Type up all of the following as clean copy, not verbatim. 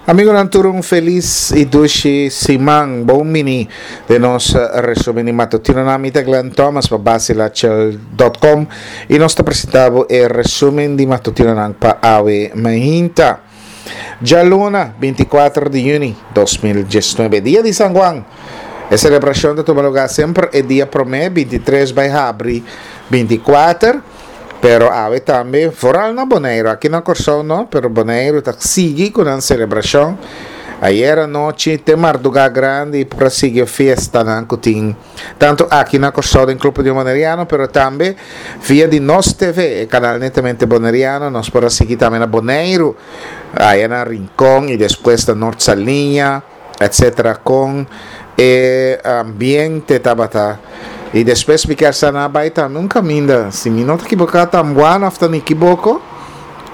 Amigonan tur un felis y dushi siman. Bon bini den nos resumen di matutinonan. Mi ta Glenn Thomas pa Basilachel.com y nos ta presenta bo e resumen di matutinonan pa awe mainta. Djaluna, 24 di juni 2019, dia di San Juan. E celebracion ta tuma lugar semper e dia prome, 23 bai habri 24. Pero awe tambe, vooral na Boneiru, aki na Kòrsou no, pero Boneiru ta sigui ku nan selebrashon. Ayera nochi te mardugá grandi por a sigui e fiestanan ku tin tantu aki na Kòrsou den Club Union Boneriano, pero tambe via di Nos TV, e kanal netamente boneriano, nos por a sigui tambe na Boneiru, aya na Rincon i despues na Nort Saliña. Etc con e ambiente tabata y despues mi kier sa nan a bay tambe un caminda si mi no ta equivoca Tambuana of ta Nikiboko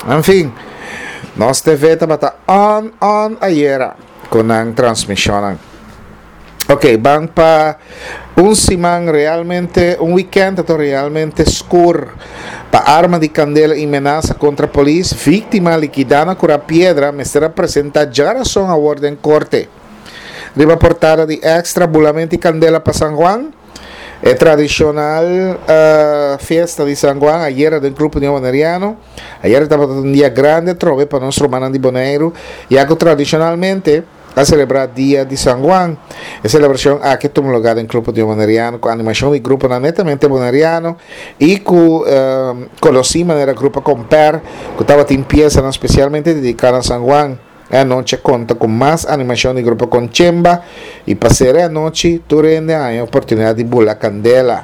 en fin nos TV tabata on on ayera cu nan transmisionnan. Ok ban pa un siman realmente un weekend ta realmente scur pa arma di candela y menasa contra polis victima liquida na cura piedra mester a presenta djarason awor den corte. Riba portada di Extra bulamento y candela pa San Juan e tradicional fiesta di San Juan ayera den Club Union Boneriano ayera tabata un dia grandi atrobe pa nos rumannan di Boneiru ya cu tradicionalmente A selebrá Dia di San Juan. E selebrashon aki a tuma lugá den Club Union Boneriano ku animashon di gruponan netamente boneriano i ku konosí manera Grupo Komper ku tabatin piesanan spesialmente dediká na San Juan. E anochi a konta ku mas animashon di Grupo Konchemba i pa sera e anochi tur hende a haña oportunidat di bula kandela.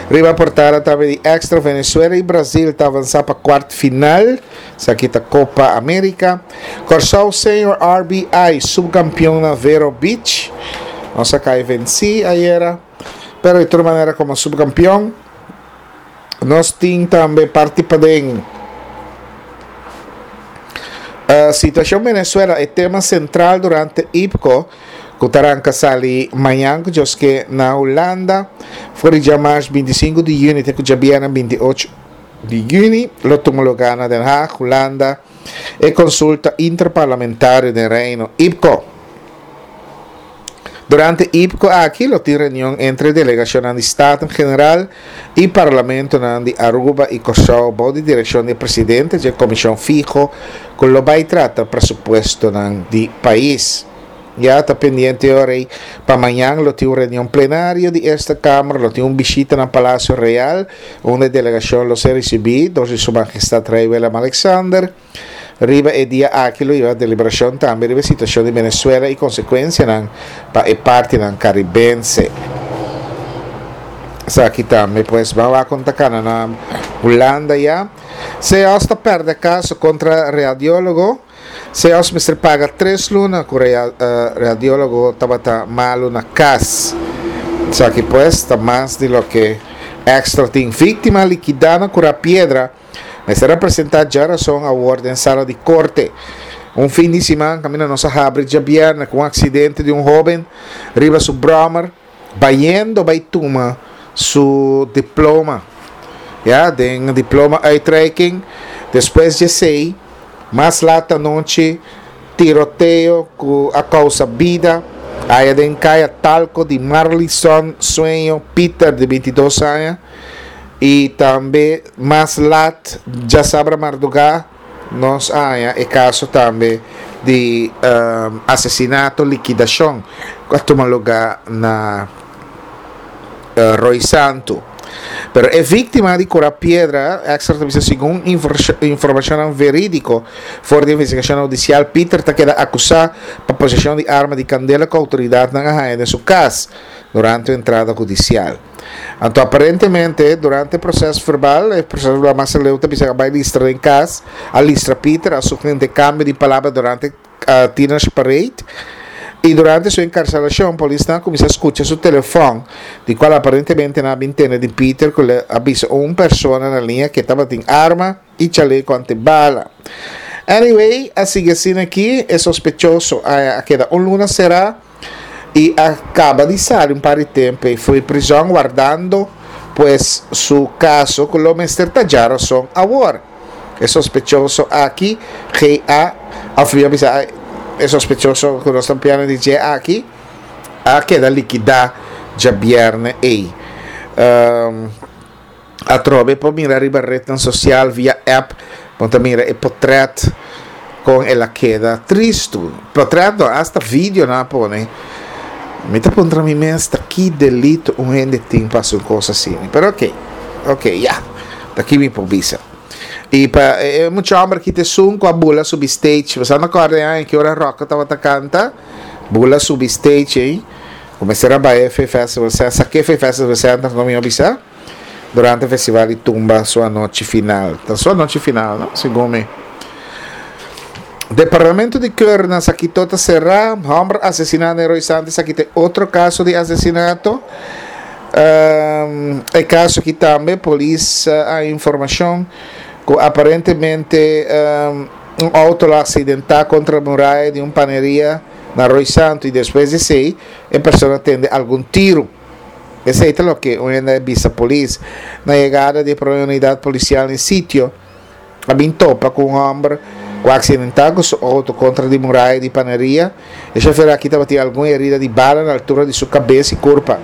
Riba portada tambe di Extra Venezuela i Brazil ta avansá pa kuart final. Esaki ta Copa America. Kòrsou Senior RBI subkampion na Vero Beach. Nos a kai vensí ayera. Pero di tur manera komo subkampion nos tin tambe parti paden. Situashon Venezuela e tema sentral durante IPCO ku ta ranka sali mañan ku djoske na Hulanda for di djamars 25 di yüni te ku djabièrnè 28 di yüni lo tuma lugá na Den Haag, Hulanda. E konsulta interparlamentario den Reino, IPCO. Durante IPCO aki lo tin reunion entre delegashonnan di Staten General i parlamentonan di Aruba i Kòrsou bou di direkshon di e presidente dje komishon fiho ku lo bai trata presupuestonan di pais. Ya ta pendiente ora ei pa mañan lo tin un reunion plenario di Eerste Kamer, lo tin un bishita na Palacio Real unda e delegashon lo ser risibí dor di Su Majestad Rei Willem Alexander. Riba e dia aki lo hiba deliberashon tambe riba e situashon di Venezuela i konsekuensianan pa e partinan karibense. Esaki tambe pues ban wak kon ta kana na Hulanda ya. CEOS ta pèrdè kaso kontra radiólogo. Seos mester paga tres luna ku radiólogo tabata malu na kas. Esaki pues ta mas di loke Extra tin. Víktima likidá na Kura Piedra mester a presentá djarason awor den sala di korte. Un fin di siman kaminda nos a habri djabièrnè ku un aksidente di un hóben riba su bròmer. Bayendo bay tuma su diploma ya den diploma uitreiking despues di esey mas laat anochi tiroteo cu a causa bida aya den caya Talco di Marlison Sueño Pieter di 22 aña y tambe mas laat djasabra marduga Nos a haña e kaso tambe di asesinato, likidashon ku a tuma lugá na Rooi Santu. Pero e víktima di Kura Piedra, Extra ta bisa segun informashonnan verídiko for di investigashonnan hudisial, Pieter ta keda akusá pa poseshon di arma di kandela ku outoridatnan a haña den su kas durante un entrada hudisial. Anto aparentemente durante e proces verbal, e proces verbal mas aleu ta bisa a bai listra den cas, a listra Peter, a sufri intercambio di palabra durante Tiener's Parade, y durante su encarcelacion polisnan a cuminsa scucha su telefon, di cual aparentemente nan a bin tende di Peter cu le a bisa un persona na liña cu e tabatin arma, y chaleco antibala. Anyway, a sigui asina aki, e sospechoso a keda un luna cera y a caba di sali un par di tempo y fui prison wardando pues su caso cu lo mester ta djarason awor. E sospechoso aki, GA. Òf mi a bisa e sospechoso ku nos ta piano di dje aki a keda likidá djabièrnè ei. Atrobe por mira riba retnan sosial via app bo ta mira e potrèt kon el a keda tristu. Potrèt no, asta video nan a pone. Mi ta puntra mi mes ta ki delito un hende tin pa hasi un kos asina. Pero oke, oke, ya, ta ki mi por bisa. I pa e mucha hòmber aki ta esun ku a bula subi stage. Bo sa no kòrda e aña ki ora Rocco tabata kanta? Bula subi stage ei. Ku mester a bai e Festival Center, sa ke Festival Center ku mi a bisa? Durante Festival di Tumba su anochi final. Ta su anochi final, no? Segun mi. Departamento di Keur na Sakito ta será. Hòmber asesiná na Heroy Santi esaki ta e otro kaso di asesinato. E kaso aki tambe polis a informashon ku aparentemente un outo lo aksidentá kontra muraya di un paneria na Rooi Santu i despues di esei e persona tende algun tiru. Esei ta loke un hende a bisa polis. Na yegada di e prome unidat polisial na e sitio a bin topa ku un hòmber ku a aksidentá ku su outo kontra di muraya di paneria. E shofer aki tabatin algun herida di bala na altura di su kabes i kurpa.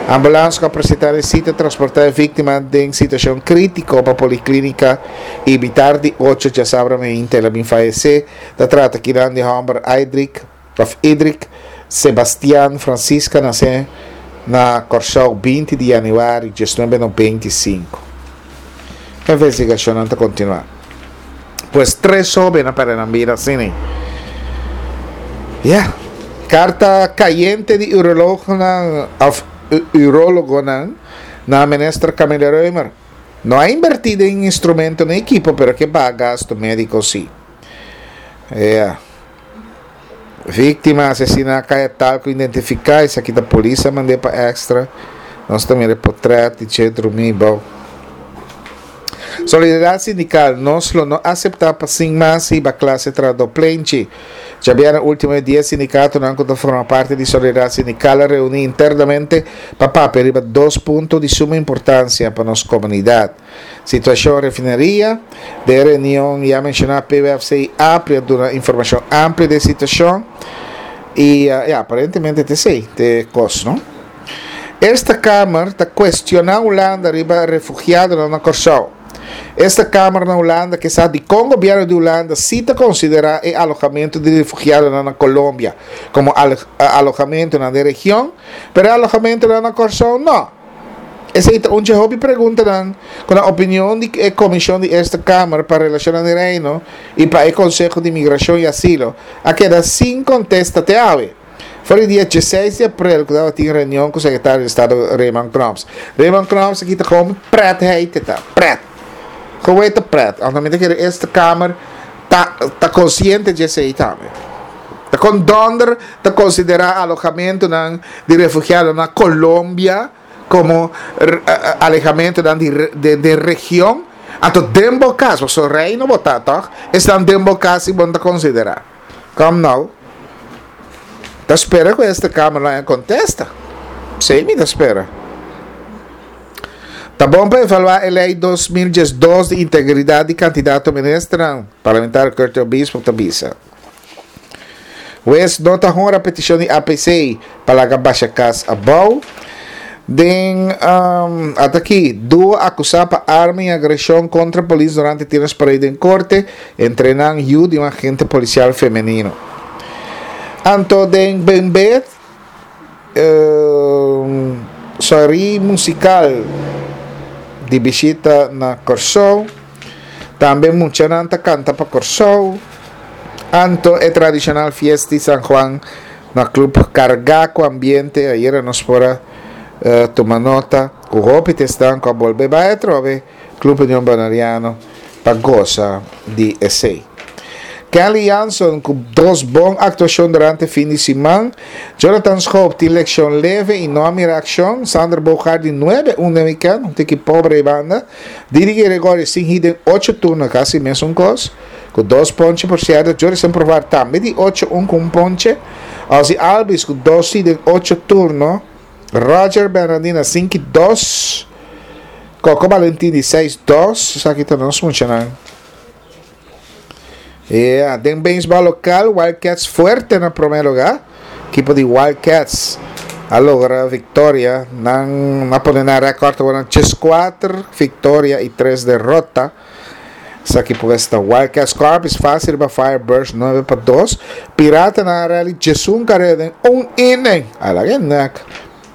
Ambulans ku a presentá na e sitio a transportá e víktima den situashon krítiko pa poliklinika i mitar di ocho djasabra meinta el a bin fayesé. Ta trata kinan di hòmber Aidrick òf Idrick Sebastian Francisca nasé na Kòrsou 20 di yanüari 1995. Investigashonnan ta kontinuá. Pues tres hóben a pèrdè nan bida asina. Ya. Karta kayente di urolognan òf urologonan na Minister Camille Römer. No a inbertí den instrumento ni ekipo pero ke baha gasto médiko sí. Ya. Víktima asesiná kaya tal ku identifiká esaki ta polis a mand'é pa extra. Nos ta mira e potrèt di dje drumí bou. Solidaridat sindikal, Nos lo no aseptá pa sin mas hiba klase trahadó plenchi. Djabièrnè último e dies sindikatonan ku ta forma parti di Solidaridat Sindikal a reuní internamente pa papia riba dos punto di suma importansia pa nos komunidat. Situashon refineria, Den e reunion ya menshoná PWFC i APRI a duna informashon amplio di e situashon i ya aparentemente ta esei ta e kos no. Eerste Kamer ta kuestioná Hulanda riba refugiadonan na Kòrsou. Eerste Kamer na Hulanda ke sa dikon gobièrnu di Hulanda si ta konsiderá e alohamentu di refugiadonan na Colombia komo alohamentunan den region, pero e alohamentunan na Kòrsou nò. Esei ta un dje hopi preguntanan ku na opinion di e Komishon di Eerste Kamer pa Relashonnan di Reino i pa e Konseho di Migrashon i Asilo a keda sin kontesta te awe. For di dia dieseis di aprel ku tabatin reunion ku Sekretario di Estado Raymond Knops. Raymond Knops aki ta komo pret hei te ta, pret. Komo e ta pret? Anto mi ta kere Eerste Kamer ta ta konsiente dje esei tambe. Ta kon dònder ta konsiderá alohamentunan di refugiado na Colombia komo alehamentunan di den region? Anto den bo kas, pasobra reino bo ta tòg, esnan den bo kas si bo no ta konsiderá. Kom nou. Ta spera ku esta kamer lo haña kontesta. P'esei mi ta spera. Ta bon pa evaluá e lei 2012 di integridat di kandidato ministernan, parlamentario Curtis Obispo ta bisa. Wes no ta honra petishon di APC pa laga basha kas abou. Den um, ataki, duo akusá pa arma i agreshon kontra polis durante tiros parade den korte, entre nan yu di un agente polisial femenino. Anto den Benbet, um, soiree musikal di bishita na Kòrsou. Tambe muchanan ta kanta pa Kòrsou. Anto e tradishonal fiesta di San Juan na Club kargá ku ambiente. Ayera nos por a tuma nota ku hopi ta esnan ku a bolbe bai atrobe Club Union Boneriano pa gosa di esei. Kenley Jansen ku dos bon aktuashon durante fin di siman. Jonathan Schoop tin lekshon leve i no a mira akshon. Sander Bogaert di nuebe un den wikènt, un tiki pobre ei banda. Didi Gregorio sin hit den ocho turno kasi mesun kos ku dos ponche por sierto. Jurison Provar tambe di ocho un ku un ponche. Ozzie Albies ku dos hit den ocho turno. Roger Bernardina sinku i dos. Coco Valentin di seis dos. Esaki ta nos muchanan. Yeah, den beisbòl lokal Wild Cats fuerte na promé lugá. Ekipo di Wild Cats a logra viktoria. Nan a pone nan rèkòrt awor na 14 viktoria i 3 derota. Esaki pues ta Wild Cats. Scorpions fásil riba Firebirds 9-2. Piratanan a rally 11 kareda den un inning. A laga e nek.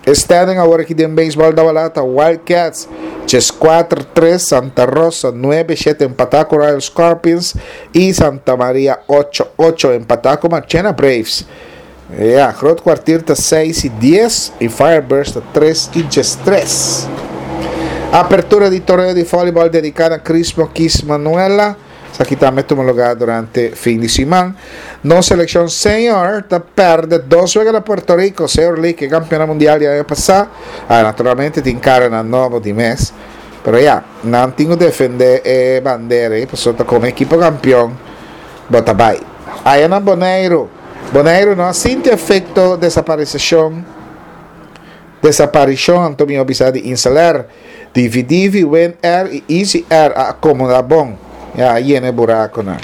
E standing awor aki den beisbòl Dawalá ta Wild Cats 14 tres, Santa Rosa 9 shete empatá ku Royal Scorpions i Santa Maria 8 ocho empatá ku Marchena Braves. Ya, Groot Kwartier ta 6 i 10 i Firebirds ta 3 i 13. Apertura di torneo di vòlibòl dediká na Crismo Kis Manuela. Esaki tambe tuma lugá durante fin di siman. Nos selekshon senior ta pèrdè dos wega na Puerto Rico, Senior League, e kampionan mundial di aña pasá. Ah, naturalmente tin karanan nobo di mes. Pero ya, nan tin ku defendé e bandera ei pasobra ta komo ekipo kampion bo ta bai. Aya na Boneiru. Boneiru no a sinti efekto desaparisashon. Desaparishon anto mi a bisa di Insel Air, Divi Divi, Win Air i Easy Air a akomoda bon, ya a yena e burakonan.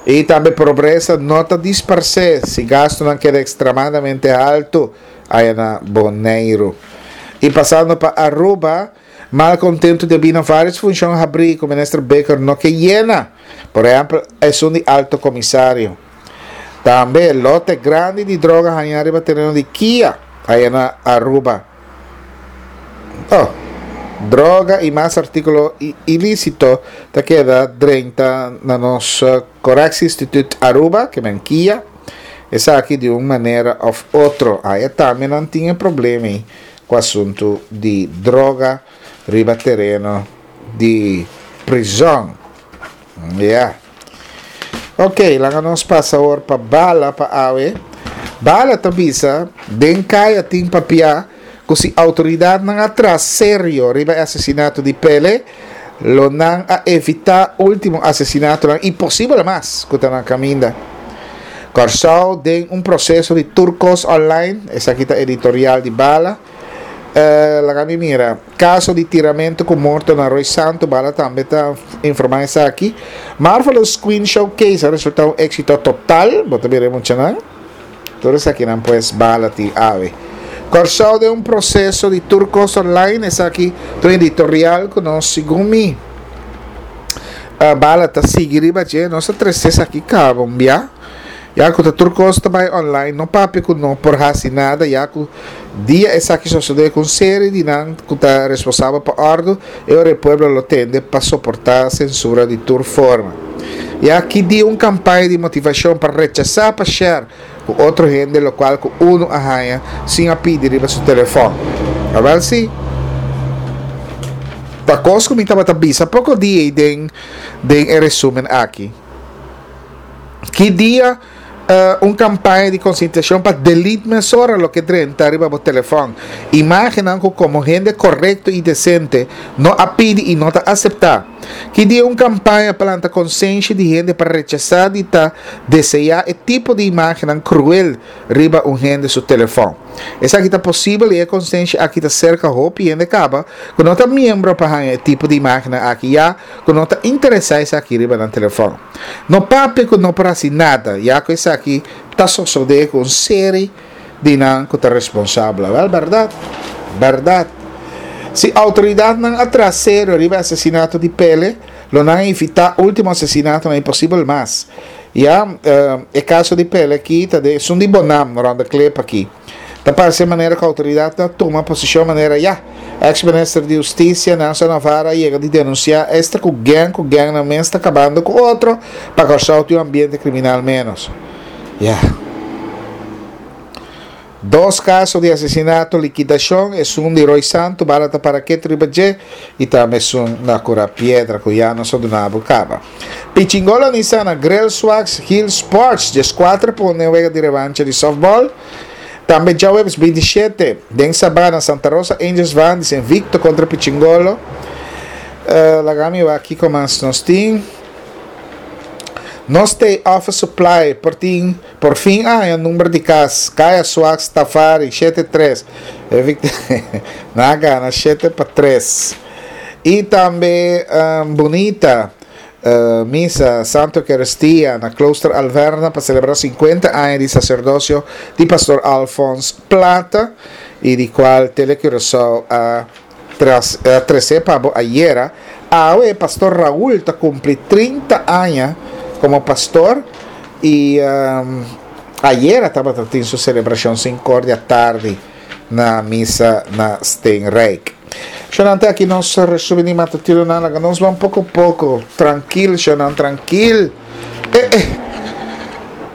I tambe pobresa no ta disparsé si gastunan keda ekstremadamente haltu aya na Boneiru. I pasando pa Aruba, malkontentu debí na vários funshon habrí ku Minister Bikker no ke yena, por ehèmpel esun di Alto Komisario. Tambe lote grandi di droga hañá riba tereno di Kia aya na Aruba. Oh, droga y mas artículo ilícito ta keda drenta na nos Correctie Instituut Aruba, ke men Kia. Esaki di un manera of otro. Aya tambe nan tin e problema ei ku asuntu di droga riba tereno di prizon. Ya. Ok, laga nos pasa awor pa Bala pa awe. Bala ta bisa, den kaya tin papia ku si outoridatnan a traha serio riba e asesinato di Pele, lo nan a evitá último asesinatonan i posibel mas ku ta na kaminda. Kòrsou den un proseso di tur kos online, esaki ta editorial di Bala. Laga mi mira. Kaso di tiramentu ku morto na Rooi Santu, Bala tambe ta informá esaki. Marvelous Queen Showcase a resultá un éksito total, bo ta mira e muchanan. Tur esakinan pues Bala tin awe. Kòrsou den un proseso di tur kos online, esaki ta un editorial ku nos segun mi Bala ta sigui riba dje, nos a trese esaki kaba un bia. Ya ku ta tur kos ta bai online, no papia ku no por hasi nada, ya ku dia esaki sosodé ku un seri di nan ku ta responsabel pa òrdu, e ora e pueblo lo tende pa soportá sensura di tur forma. Ya ki dia un kampaña di motivashon pa rechasá pa share ku otro hende lokual ku unu a haña sin a pidi riba su telefòn. Awèl si, ta kos ku mi tabata bisa poko dia ei den den e resúmen aki. Ki dia un kampaña di konsientishon pa delete mesora loke drenta riba bo telefòn? Imágennan ku komo hende korekto i desente no a pidi i no ta aseptá. Ki dia un kampaña pa lanta konsenshi di hende pa rechasá di ta deseá e tipo di imágennan kruel riba un hende su telefòn? Esaki ta posibel i e konsenshi aki ta serka hopi hende kaba ku no ta miembro pa haña e tipo di imágennan aki ya ku no ta interesá esaki riba nan telefòn. No papia ku no por hasi nada, ya ku esaki ta sosodé ku un seri di nan ku ta responsabel. Awèl, bèrdat, bèrdat. Si outoridatnan a traha serio riba e asesinato di Pele, lo nan a evitá último asesinatonan i posibel mas. Ya, e kaso di Pele aki ta den esun di Bonam, rònt de klep aki. Ta parse manera ku outoridatnan a tuma posishon manera ya. Eks minister di Hustisia Nelson Navarro a yega di denunsiá esta ku gèng ku gèngnan mes ta kabando ku otro pa Kòrsou tin un ambiente kriminal ménos. Ya. Dos kaso di asesinato, likidashon, esun di Roy Santu, bala ta para ketu riba dje, i tambe esun na Kura Piedra ku ya nos a duna bo kaba. Pichingolo Nissan a Grill Swags Hill Sports 14 pone wega di revancha di softball. Tambe djaweps 27 den Sabana Santa Rosa Angels Vandis invicto contra Pichingolo. Uh, laga mi wak kiko mas nos tin. Nos te Office Supply por tin por fin a haña number di kas. Kaya Swags Tafari 73. Na gana 7 pa 3. I tambe um, Bunita. Misa Santo Eucaristia na Klooster Alverna pa celebra 50 aña di sacerdocio di Pastor Alfons Plata y di cual Tele Curaçao a trece pa bo ayera. Awe Pastor Raul ta cumpli 30 aña como pastor y ayera tabata tin su celebracion sincor di atardi na misa na Steenrijk. Shonan te aki nos resumi di matutinonan laga nos ban poko poko trankil shonan trankil eh eh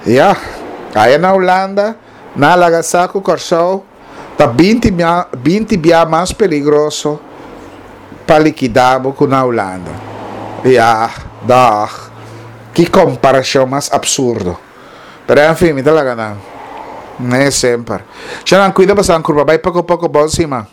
ya aya na Hulanda na laga sa ku Kòrsou ta binti binti bia mas peligroso pa likidá bo ku na Hulanda ya dòg ki komparashon mas absurdo pero enfin mi ta laga nan ne semper shonan kuida pasan kurpa bai poko poko bon siman.